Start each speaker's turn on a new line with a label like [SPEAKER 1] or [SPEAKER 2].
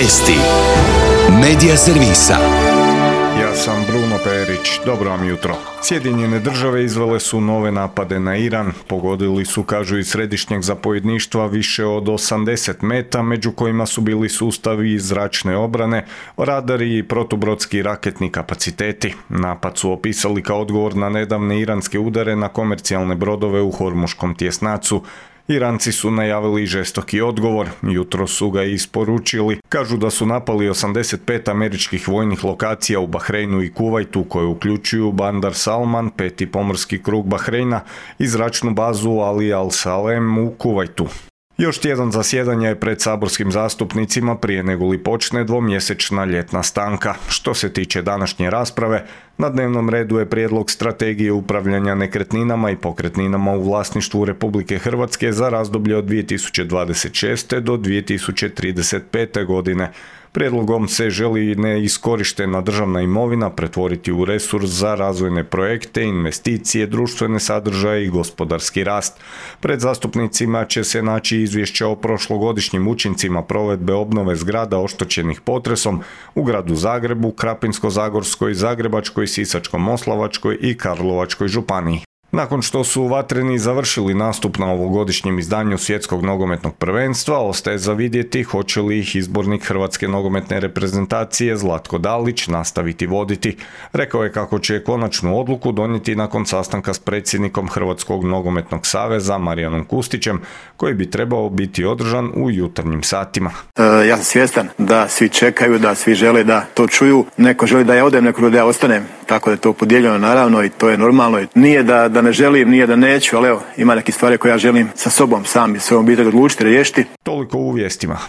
[SPEAKER 1] Vijesti. Medija servisa.
[SPEAKER 2] Ja sam Bruno Perić. Dobro vam jutro. Sjedinjene države izvele su nove napade na Iran. Pogodili su, kažu iz središnjeg zapovjedništva, više od 80 meta, među kojima su bili sustavi zračne obrane, radari i protubrodski raketni kapaciteti. Napad su opisali kao odgovor na nedavne iranske udare na komercijalne brodove u Hormuškom tjesnacu. Iranci su najavili žestoki odgovor, jutro su ga isporučili. Kažu da su napali 85 američkih vojnih lokacija u Bahreinu i Kuvajtu, koje uključuju Bandar Salman, peti pomorski krug Bahreina i zračnu bazu Ali Al Salem u Kuvajtu. Još tjedan zasjedanja je pred saborskim zastupnicima prije nego li počne dvomjesečna ljetna stanka. Što se tiče današnje rasprave, na dnevnom redu je prijedlog strategije upravljanja nekretninama i pokretninama u vlasništvu Republike Hrvatske za razdoblje od 2026. do 2035. godine. Prijedlogom se želi neiskorištena državna imovina pretvoriti u resurs za razvojne projekte, investicije, društvene sadržaje i gospodarski rast. Pred zastupnicima će se naći izvješća o prošlogodišnjim učincima provedbe obnove zgrada oštećenih potresom u gradu Zagrebu, Krapinsko-zagorskoj, Zagrebačkoj, Sisačko-moslavačkoj i Karlovačkoj županiji. Nakon što su vatreni završili nastup na ovogodišnjem izdanju Svjetskog nogometnog prvenstva, ostaje za vidjeti hoće li ih izbornik Hrvatske nogometne reprezentacije Zlatko Dalić nastaviti voditi. Rekao je kako će konačnu odluku donijeti nakon sastanka s predsjednikom Hrvatskog nogometnog saveza Marijanom Kustićem, koji bi trebao biti održan u jutarnjim satima.
[SPEAKER 3] Ja sam svjestan da svi čekaju, da svi žele da to čuju. Neko želi da ja odem, neko želi da ja ostanem. Tako da je to podijeljeno naravno i to je normalno. Nije da ne želim, nije da neću, ali evo, ima neke stvari koje ja želim sa sobom sam i svojom obitelji odlučiti, riješiti.
[SPEAKER 2] Toliko u vijestima.